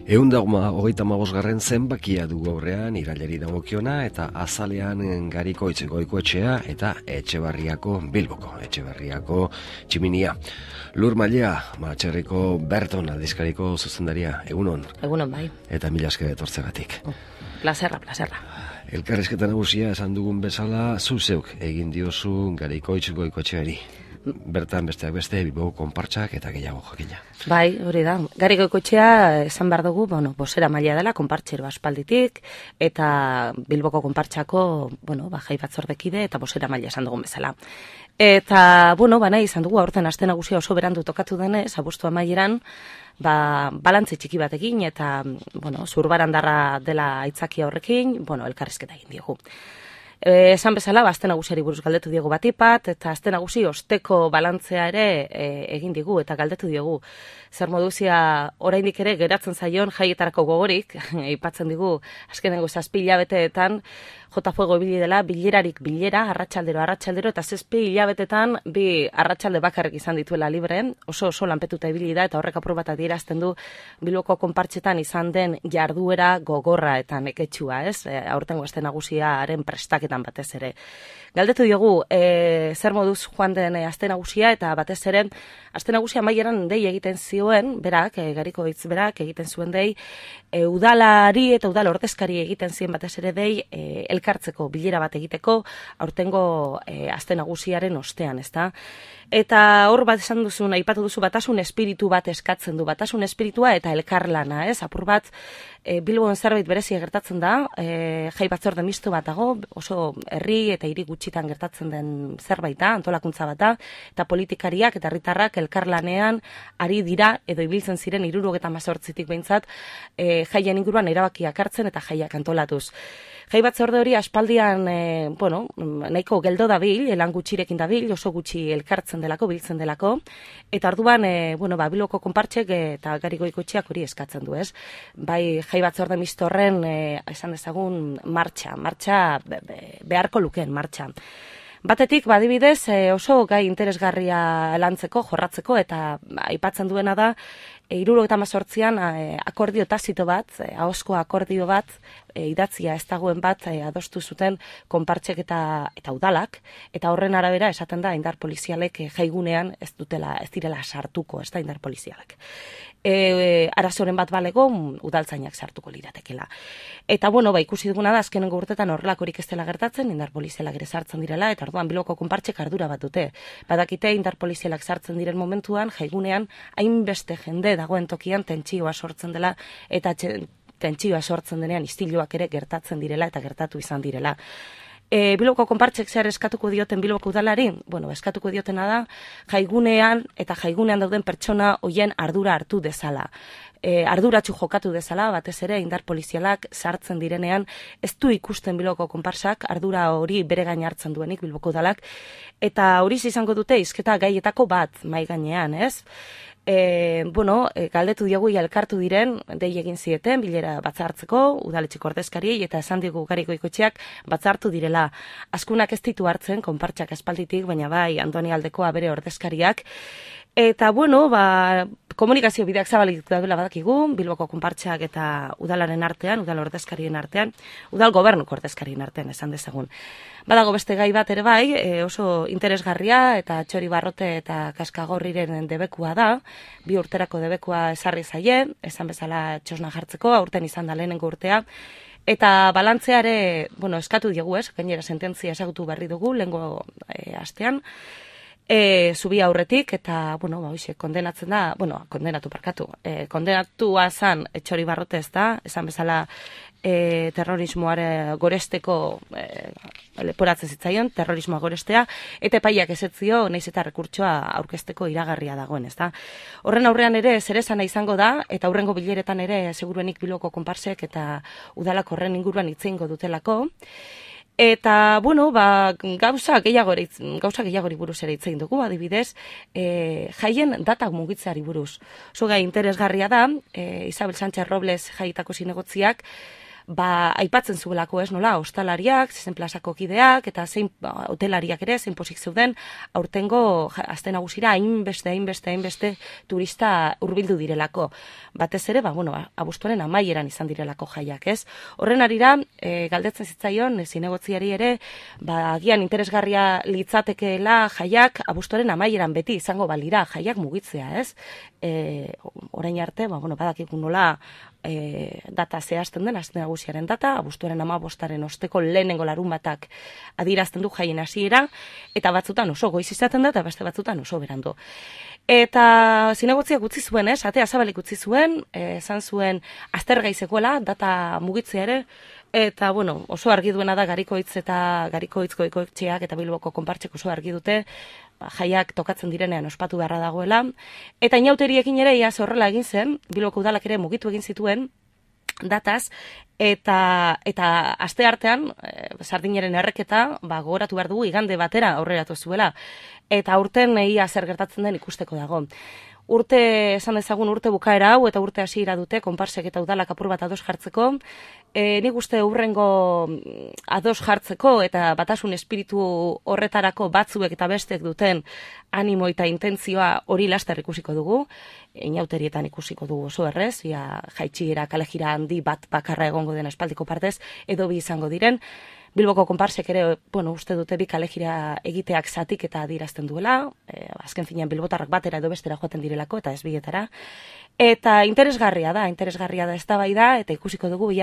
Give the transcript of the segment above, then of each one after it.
125. zenbakia dugu aurrean irailari dagokiona eta azalean Garikoitz Goikoetxea eta Etxebarriako Bilboko Etxebarriako Tximinia. Lur Mailea, Matxerriko Berton aldizkariko zuzendaria, egunon. Egunon bai. Eta mila esker etortzegatik. Plazerra. Elkarrizketa nagusia esan dugun bezala, zu zeuk egin diozu Garikoitz Goikoetxeari. Bertan besteak beste Bilboko konpartsak eta gehiago jakina. Bai, hori da. Gari Goikoetxea esan behar dugu, bosera maila dela konpartxero aspalditik eta Bilboko konpartsako, jai batzordekide eta bosera maila esan dugun bezala. Eta, nahi izan dugu aurten aste nagusia oso berandu tokatu denez, abuztu amaieran, balantze txiki batekin eta, zurbarandarra dela aitzakia horrekin, elkarrizketa egin diogu. Esan bezala, aste nagusiari buruz galdetu diogu batipat, eta aste nagusi osteko balantzea ere egin digu eta galdetu diogu. Zer moduzia oraindik ere geratzen zaion jaietarako gogorik, aipatzen digu azkenengo 7 hilabeteetan, jota fuego ibili dela, bilerarik bilera, arratsaldero, eta 7 hilabetetan bi arratsalde bakarrik izan dituela libre, oso lanpetuta ibili da, eta horrek apur bat adierazten du Bilboko konpartsetan izan den jarduera gogorra eta neketsua, ez? Aurtengo aste nagusiaren prestaketan batez ere. Galdetu diogu, zer moduz joan den aste nagusia, eta batez ere, aste nagusia amaieran dei egiten zioen, berak, Garikoitz berak egiten zuen dei, udalari eta udal ordezkari egiten zien batez ere dei, elkartzeko bilera bat egiteko, aurtengo aste nagusiaren ostean, ezta? Eta hor bat esan duzun, aipatu duzu batasun espiritu bat eskatzen du, batasun espiritua eta elkarlana, ez? Apur bat, Bilbon zerbait berezia gertatzen da, jai batzorde misto bat dago, oso herri eta hiri gutxitan gertatzen den zerbait da, antolakuntza bat da, eta politikariak eta herritarrak elkarlanean ari dira, edo ibiltzen ziren 78tik behintzat, jaien inguruan erabakiak hartzen eta jaiak antolatuz. Jai batzorde hori aspaldian, nahiko geldo dabil, lan gutxirekin dabil, oso gutxi elkartzen delako, biltzen delako, eta orduan, Bilboko konpartsek eta Gari Goikoetxeak hori eskatzen du, ez? Bai, jai batzorde mistorren, esan dezagun, martxa beharko lukeen martxa. Batetik, badibidez, oso gai interesgarria lantzeko, jorratzeko, eta aipatzen duena da, 78an akordio tazito bat, ahozko akordio bat, idatzia ez dagoen bat adostu zuten konpartsek eta udalak, eta horren arabera esaten da indar polizialek jaigunean ez direla sartuko, ez da indar polizialek. Arazoren bat balego, udaltzainak sartuko liratekela. Eta, ikusi duguna da, azkenengo urtetan horrelakorik ez dela gertatzen, indar polizialak ere sartzen direla, eta orduan Bilboko konpartsek ardura bat dute. Badakite indar polizialak sartzen diren momentuan, jaigunean, hainbeste jende dagoen tokian tentsioa sortzen dela, eta tentsioa sortzen denean istiluak ere gertatzen direla eta gertatu izan direla. Bilboko konpartsek zer eskatuko dioten Bilboko udalari? Eskatuko diotena da, jaigunean dauden pertsona hoien ardura hartu dezala. Arduratsu jokatu dezala, batez ere indar polizialak sartzen direnean, ez du ikusten Bilboko konpartsak ardura hori bere gain hartzen duenik Bilboko udalak, eta hori izango dute hizketa gaietako bat mai gainean, ez? Galdetu diogu elkartu diren, dei egin zieten, bilera batzartzeko, udaletxeko ordezkariei, eta esan digu Gari Goikoetxeak batzartu direla. Azkunak ez ditu hartzen, konpartsak aspalditik, baina bai, Andoni Aldekoa bere ordezkariak. Eta, komunikazio bideak zabalik daudela badakigu, Bilboko konpartsak eta udalaren artean, udal ordezkarien artean, udal gobernuko ordezkarien artean, esan dezagun. Badago beste gai bat ere bai, oso interesgarria eta Txori Barrote eta Kaskagorriren debekua da, 2 urterako debekua ezarri zaie, esan bezala txosna jartzeko, aurten izan da lehenengo urtea, eta balantzeare, eskatu diegu ez, gainera sententzia ezagutu berri dugu, lehengo astean, zubi aurretik, eta, kondenatzen da, kondenatua zan Txori Barrote ez da, esan bezala terrorismoare goresteko leporatzen zitzaion, terrorismoa gorestea, eta epaiak ezetzio, nahiz eta rekurtsoa aurkezteko iragarria dagoen, ez da. Horren aurrean ere, zerezana izango da, eta aurrengo bileretan ere, seguruenik Bilboko konpartsek eta udalak horren inguruan itzeingo dutelako. Eta, gauza gehiagori buruz ere hitz egin dugu, adibidez, jaien datak mugitzeari buruz. Oso gai interesgarria da, Isabel Sánchez Robles jaietako zinegotziak, aipatzen zuelako ez nola, ostalariak, zein plazako kideak, eta zein hotelariak ere, zein pozik zeuden, aurtengo aste nagusira hainbeste turista hurbildu direlako. Batez ere, abuztuaren amaieran izan direlako jaiak, ez? Horren arira, galdetzen zitzaion, zinegotziari ere, agian interesgarria litzatekeela jaiak abuztuaren amaieran beti izango balira, jaiak mugitzea, ez? Orain arte, badakikun nola data zehazten den, aste nagusiaren data, abuztuaren 15-aren osteko lehenengo larunbatak adierazten du jaien hasiera, eta batzutan oso goiz izaten da, eta beste batzutan oso berandu. Eta zinegotziak utzi zuen, atea zabalik utzi zuen, esan zuen aztergaizekoela, data mugitzea ere, eta oso argi duena da Garikoitz eta Garikoitz goikoetxeak eta Bilboko konpartsek oso argi dute, jaiak tokatzen direnean ospatu beharra dagoela, eta inauteriekin ere iaz horrela egin zen, Bilboko udalak ere mugitu egin zituen dataz, eta aste artean, sardinaren erreketa, gogoratu behar dugu igande batera aurreratu zuela, eta urten ia zer gertatzen den ikusteko dago. Urte, esan dezagun urte bukaera hau, eta urte hasiera dute, konparsek eta udalak apur bat ados jartzeko. Nik uste urrengo ados jartzeko eta batasun espiritu horretarako batzuek eta bestek duten animo eta intentzioa hori laster ikusiko dugu. Inauterietan ikusiko dugu oso errez, jaitxiera, kalejira handi bat bakarra egongo den espaldiko partez, edo bi izango diren. Bilboko konparsek ere, uste dute bi kalejira egiteak zatik eta adirazten duela, azken finean bilbotarrak batera edo bestera joaten direlako, eta ez bietara. Eta interesgarria da eztabaida, eta ikusiko dugu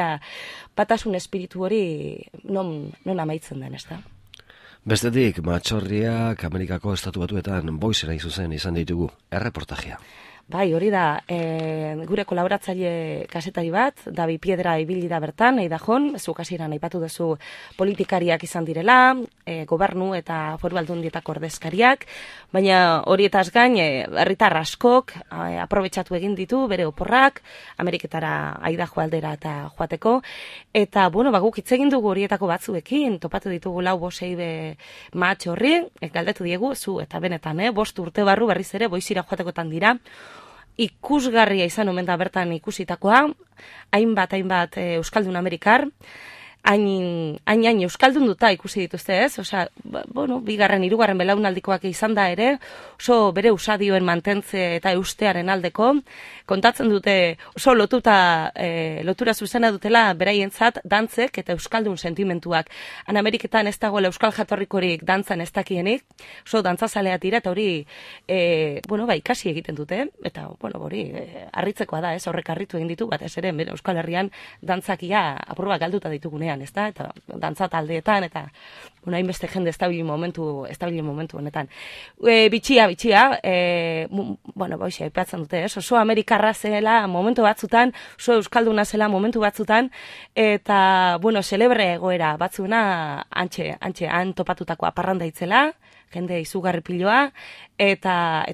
batasun espiritu hori non amaitzen den, ez da. Bestetik, Matxorriak Amerikako Estatu Batuetan boizera izuzen izan ditugu, erreportajea. Bai, hori da, gure kolaboratzaile kasetari bat, Davi Piedra ibili da bertan, Eidajon, zuk hasieran aipatu duzu politikariak izan direla, gobernu eta foru aldundietako ordezkariak, baina horietaz gain, herritar askok aprobetxatu egin ditu bere oporrak, Ameriketara Aidajo aldera eta joateko, eta, guk hitz egin dugu horietako batzuekin, topatu ditugu 4-5 Matxorri, galdetu diegu, zu eta benetan, 5 urte barru berriz ere boizira joatekotan dira, ikusgarria izan omen da bertan ikusitakoa, hainbat Euskaldun Amerikar, hain Euskaldun duta ikusi dituzte ez, bigarren, hirugarren belaunaldikoak izan da ere, oso bere usadioen mantentze eta eustearen aldeko, kontatzen dute oso lotura zuzena dutela beraientzat dantzek eta Euskaldun sentimentuak. Han Ameriketan ez dagoela Euskal jatorrikorik dantzan ez dakienik, oso dantzazaleak dira eta hori ikasi egiten dute, eta hori harritzekoa da ez, horrek harritu egin ditu, batez ere Euskal Herrian dantzakia apurba galduta ditugunean, ez da, eta dantza taldeetan, eta hainbeste jende estabili momentu honetan. Bitxia, aipatzen dute, oso Amerikarra zela momentu batzutan, oso Euskalduna zela momentu batzutan, eta, celebre egoera batzuna han topatutakoa parranda itzela, jende izugarri piloa, eta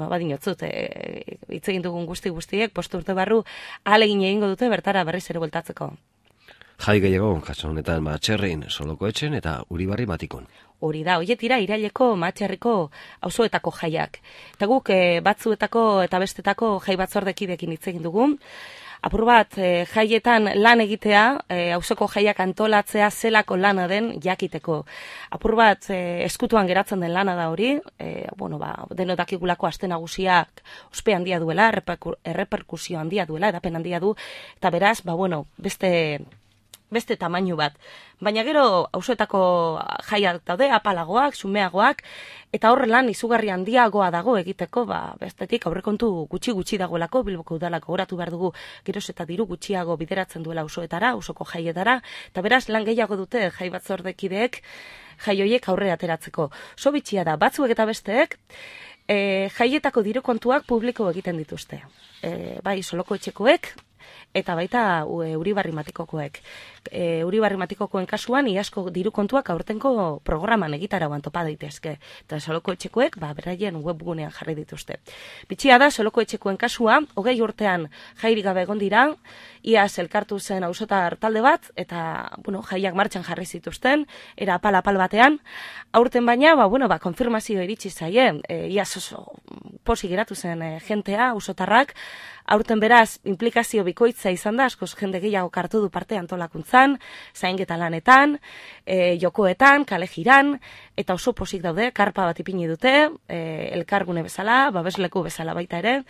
badinotzut, hitz egin dugun guztiek, 5 urte barru, ahalegin egingo dute bertara berriz ere bueltatzeko. Jai gehiago, kasu honetan Matxerrin, Solokoetxen eta Uribarri Matikon. Hori da, hoietira iraileko Matxerriko auzoetako jaiak. Eta guk batzuetako eta bestetako jai batzordekidekin hitz egin dugu. Apur bat, jaietan lan egitea, auzoko jaiak antolatzea zelako lana den jakiteko. Apur bat, eskutuan geratzen den lana da hori, denodakigulako aste nagusiak ospe handia duela, erreperkusio handia duela, edapen handia du, eta beraz, beste tamainu bat. Baina gero auzoetako jaiak daude, apalagoak, xumeagoak, eta horre lan izugarri handiagoa dago egiteko, bestetik aurrekontu gutxi dagoelako, Bilboko udalako goratu behar dugu geroz eta diru gutxiago bideratzen duela auzoetara, auzoko jaietara, eta beraz lan gehiago dute jai batzordekideek jai hoiek aurre ateratzeko. So bitxia da, batzuek eta besteek, jaietako diru kontuak publiko egiten dituzte. Bai, Solokoetxekoek, eta baita Uribarri Matikokoek. Uribarri Matikokoen kasuan, iasko diru kontuak aurtenko programan egitarauan topa daitezke. Eta Solokoetxekoek, beraien webgunean jarri dituzte. Bitxia da, Solokoetxekoen kasua, 20 urtean jairik gabe egon dira, iaz elkartu zen auzotar talde bat, eta, jaiak martxan jarri zituzten, era apal batean. Aurten baina, konfirmazio iritsi zaie, iaz oso posi geratu zen jentea, auzotarrak, aurten beraz, implikazio bikoitza izan da, askoz jende gehiago hartu du parte antolakuntzan, zainketa lanetan, jokoetan, kale jiran, eta oso pozik daude, karpa bat ipini dute, elkargune bezala, babesleku bezala baita ere,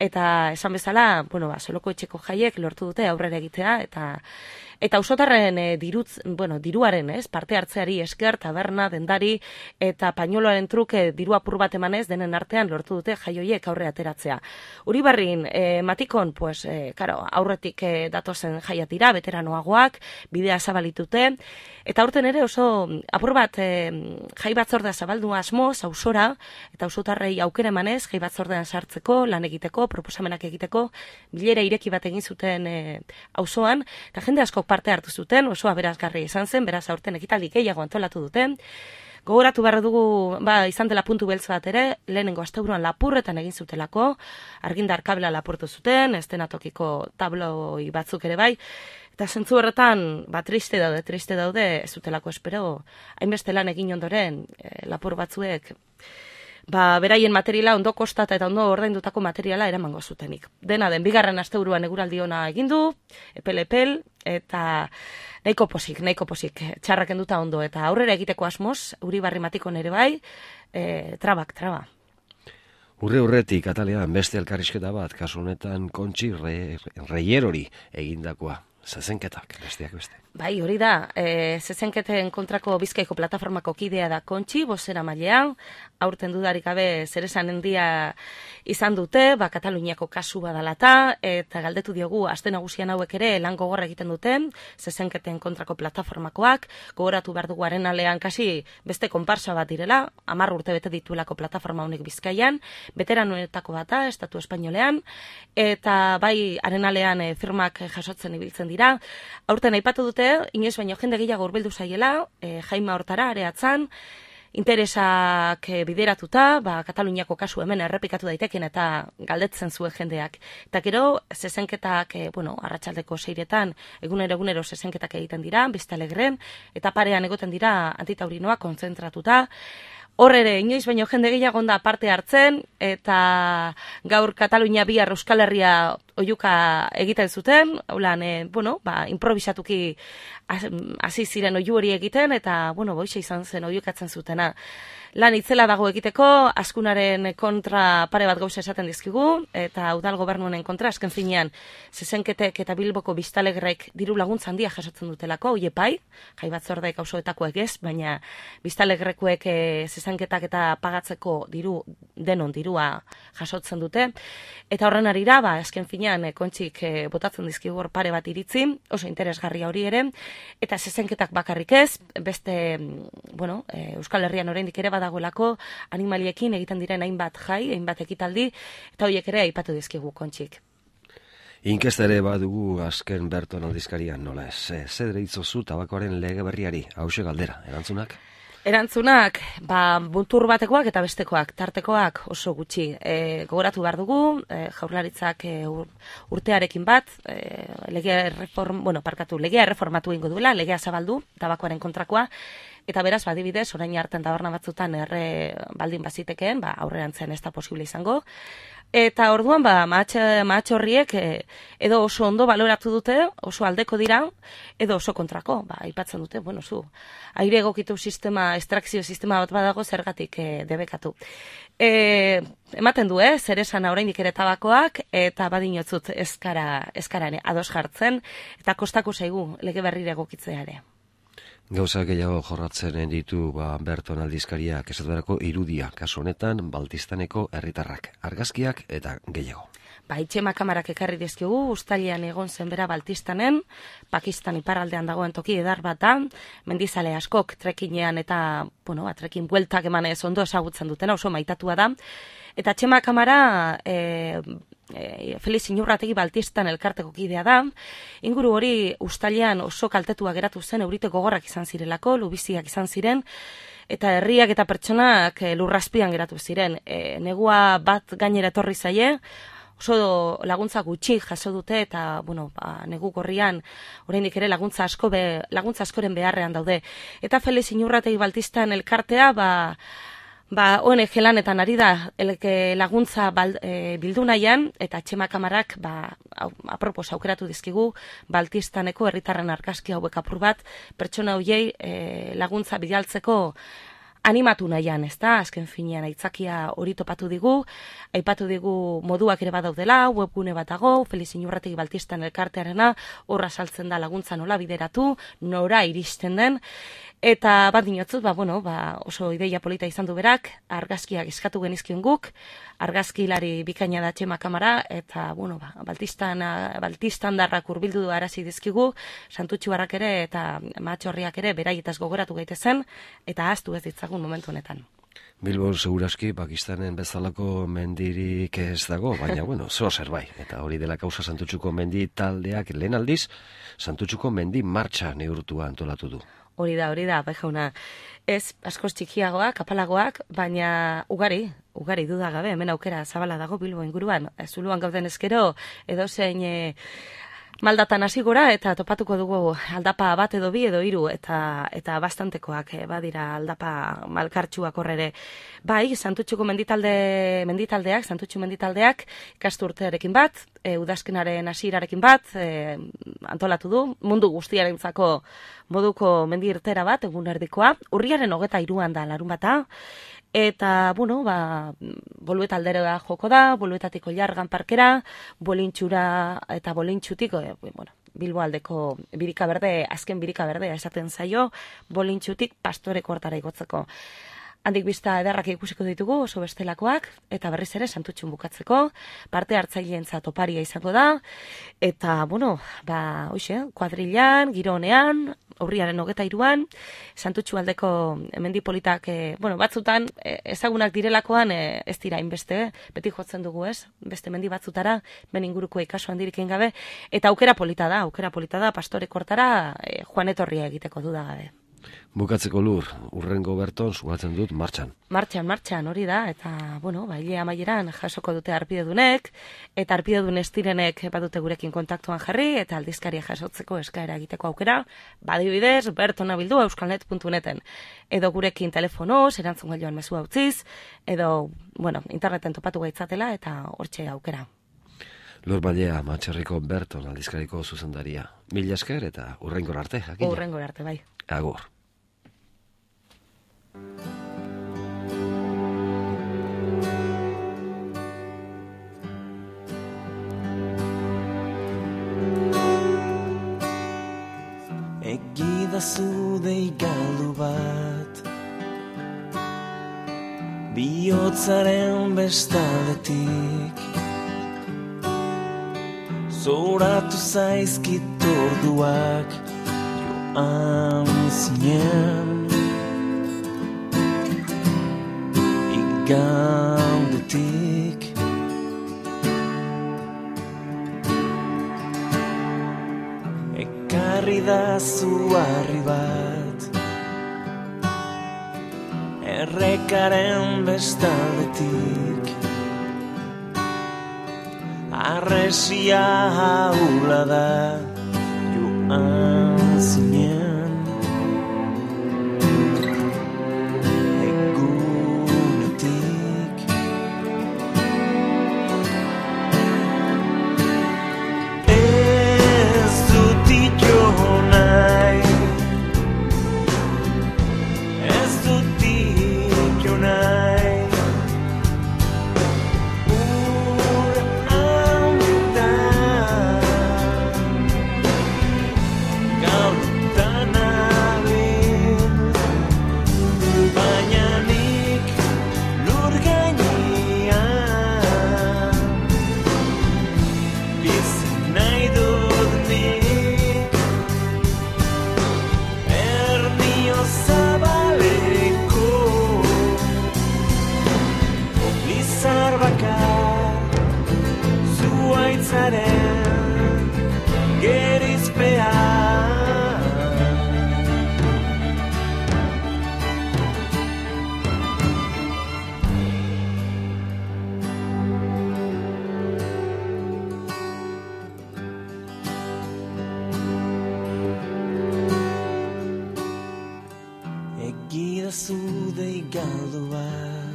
eta esan bezala, bueno, Soloko etxeko jaiek lortu dute aurrera egitea, eta auzotarren diruaren, parte hartzeari esker, taberna, dendari, eta pañoloaren truke diru apur bat emanez, denen artean lortu dute jaioiek aurre ateratzea. Uribarrin, matikon, aurretik datozen jaiatira, veteranoagoak, bidea zabalitute, eta aurten ere oso apur bat jai batzordea zabaldu asmoz, auzora, eta auzotarrei aukera emanez, jai batzordean sartzeko, lan egiteko, proposamenak egiteko, bilera ireki bat egin zuten auzoan, eta jende asko parte hartu zuten, oso aberazgarria izan zen, beraz aurten ekitaldi gehiago antolatu duten. Gogoratu behar dugu, izan dela puntu beltz bat ere, lehenengo asteburuan Lapurretan egin zutelako, argindar kabela lapurtu zuten, estenatokiko tabloi batzuk ere bai, eta zentzu horretan, triste daude, ez zutelako espero, hainbeste lan egin ondoren, lapur batzuek, beraien materiala ondo kostata eta ondo ordaindutako materiala eramango zutenik. Dena den, bigarren asteburuan eguraldi ona egin du, epel, eta nahiko posik, txarrak enduta ondo, eta aurrera egiteko asmoz, Uribarri Matikon ere bai, traba. Urretik, atalean, beste elkarrizketa bat, kasu honetan Kontxi Reierori egindakoa. Zezenketak, besteak beste. Bai, hori da, zezenketen kontrako Bizkaiko plataformako kidea da Kontxi, bozera mailean, aurten dudarik gabe zeresan handia izan dute, Kataluniako kasu badalata, eta galdetu diogu, aste nagusian hauek ere lan gogorra egiten duten, zezenketen kontrako plataformakoak, gogoratu behar dugu Arenalean kasi beste konparsa bat direla, 10 urte bete dituelako plataforma honek Bizkaian, veteranoetako bata, Estatu Espainolean, eta bai Arenalean firmak jasotzen ibiltzen dira. Aurten aipatu dute, inoiz baino jende gehiago hurbildu zaiela, jaima hortara areatzan, interesak bideratuta, Kataluniako kasu hemen errepikatu daiteken eta galdetzen zuen jendeak. Eta gero, zezenketak, arratsaldeko 6etan, egunero zezenketak egiten dira, Biztalegren, eta parean egoten dira antitaurinoa kontzentratuta. Hor ere, inoiz baino jende gehiago da parte hartzen, eta gaur Katalunia bihar Euskal Herria oihuka egiten zuten, haulan, improvisatuki hasi ziren oihu hori egiten, eta, boixe izan zen oihukatzen zutena. Lan itzela dago egiteko, Azkunaren kontra pare bat gauza esaten dizkigu, eta udal gobernuaren kontra, azken finean, zezenketek eta Bilboko Biztalegrek diru laguntza handia jasotzen dutelako, hoie pai, jai batzordeek auzoetakoek ez, baina Biztalegrekuek zezenketak eta pagatzeko denon dirua jasotzen dute, eta horren arira, azken finean, Kontxik botatzen dizkigu hor pare bat iritzi, oso interesgarria hori ere, eta zezenketak bakarrik ez, beste, Euskal Herrian oraindik ere badagoelako animaliekin egiten diren hainbat jai, hainbat ekitaldi, eta horiek ere aipatu dizkigu Kontxik. Inkesta ere badugu azken Berton aldizkarian, nola ez, zedere itzozu tabakoaren lege berriari, hause galdera, erantzunak? Erantzunak, buntur batekoak eta bestekoak, tartekoak oso gutxi. Gogoratu behar dugu, Jaurlaritzak urtearekin bat, legea erreformatu egingo duela, legea zabaldu, tabakoaren kontrakoa, eta beraz, badibidez, orain hartan taberna batzutan baldin bazitekeen, aurrerantzean ez da posible izango. Eta orduan, mahatx horriek edo oso ondo baloratu dute, oso aldeko dira, edo oso kontrako. Aipatzen dute, aire egokitu sistema, estrakzio sistema bat badago zergatik debekatu. Ematen du, zer esan oraindik ere tabakoak, eta badinotzut ezkarane ados jartzen, eta kostako zaigu lege berrire egokitzea ere. Gauza gehiago jorratzen ditu Berton aldizkariak esaterako irudia, kasu honetan Baltistaneko herritarrak, argazkiak eta gehiago. Itxema kamarak ekarri dizkigu, uztailean egon zen bera Baltistanen, Pakistan iparraldean dagoen toki edar bat da, mendizale askok trekinean eta, trekin bueltak emanez ondo ezagutzen dutena, oso maitatua da. Eta Txema kamara Felix Inurrategi Baltistan elkarteko kidea da, inguru hori uztailean oso kaltetua geratu zen, eurite gogorrak izan zirelako, lubiziak izan ziren, eta herriak eta pertsonak lurrazpian geratu ziren. Negua bat gainera etorri zaie, oso laguntza gutxi jaso dute, eta negu gorrian oraindik ere laguntza askoren beharrean daude. Eta Felix Inurrategi Baltistan elkartea, ONG lanetan ari da laguntza bildu nahian, eta Etxema Kamarak apropos aukeratu dizkigu Baltistaneko herritarren argazki hauek apur bat pertsona hoiei laguntza bidaltzeko animatu nahian, ezta? Azken finean aitzakia hori topatu digu, aipatu digu moduak ere badaudela, webgune bat dago, Feliz Inurrategi Baltistan elkartearena, horra saltzen da laguntza nola bideratu, nora iristen den, eta bat dinotzut, oso ideia polita izan du berak, argazkiak eskatu genizkion guk, argazkilari bikaina da Etxema Kamara, eta, baltistandarrak hurbildu du arazi dizkigu, Santutxuarrak ere eta Mahatxorriak ere beraietaz gogoratu gaitezen, eta ahaztu ez ditzagun momentu honetan. Bilbon seguraski Pakistanen bezalako mendirik ez dago, baina, zer bai. Eta hori dela kausa Santutxuko mendi taldeak lehen aldiz, Santutxuko mendi martxa neurtua antolatu du. Hori da, bai jauna. Ez askoz txikiagoak, apalagoak, baina ugari dudagabe, hemen aukera zabala dago Bilbo inguruan. Zuluan gauden ezkero, edozein maldatan hasi gora, eta topatuko dugu aldapa bat edo bi edo hiru, eta bastantekoak badira aldapa malkartxuak horrere. Bai, Santutxuko menditaldeak, Santutxu menditaldeak, ikasturtearekin bat, udazkenaren hasierarekin bat, antolatu du, mundu guztiarentzako moduko mendi irtera bat, egun erdikoa, urriaren 23an da larun bata, eta, Bolueta aldera joko da, Boluetatik Oilargan parkera, Bolintxura eta Bolintxutik, Bilbo aldeko birika berde, azken birika berdea esaten zaio, Bolintxutik Pastoreko hortara igotzeko. Handik bizta ederrak ikusiko ditugu, oso bestelakoak, eta berriz ere Santutxun bukatzeko, parte hartzaileentzat oparia izango da, eta, kuadrilan, giro honean, urriaren 23an, Santutxu aldeko mendipolitak, batzutan, ezagunak direlakoan ez dira inbeste, beti jotzen dugu ez, beste mendi batzutara, ben inguruko ikaso handirik gabe, eta aukera polita da, Pastoreko hortara joan etorria egiteko dudagabe. Bukatzeko Lur, urrengo berton sugatzen dut martxan. Martxan, hori da, eta, hilea amaieran jasoko dute arpidedunek, eta arpidedun ez direnek badute gurekin kontaktuan jarri, eta aldizkaria jasotzeko eskaera egiteko aukera, badibidez, bertona bildu euskalnet.neten, edo gurekin telefonoz, erantzun gailioan mezua utziz, edo, interneten topatu gaitzatela, eta hortxe aukera. Lur Mallea, Mahatxerriko Berton aldizkariko zuzendaria. Mila esker eta urrengor arte, jakina. Urrengor arte, bai. Agur. Egidazu deigaldu bat, bihotzaren bestaldetik, zoratu zaizkit orduak joan zinen, igandetik. Ekarri da zuarri bat, errekaren bestaldetik, arresia haula da joan zinen, egunetik. Ez dut ito nahi, ez dut ito nahi, egidazu deigaldu bat.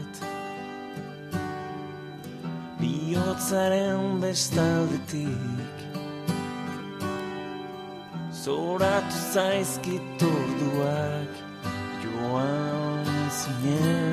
bihotzaren bestaldetik zoratu zaizkit orduak joan zinen.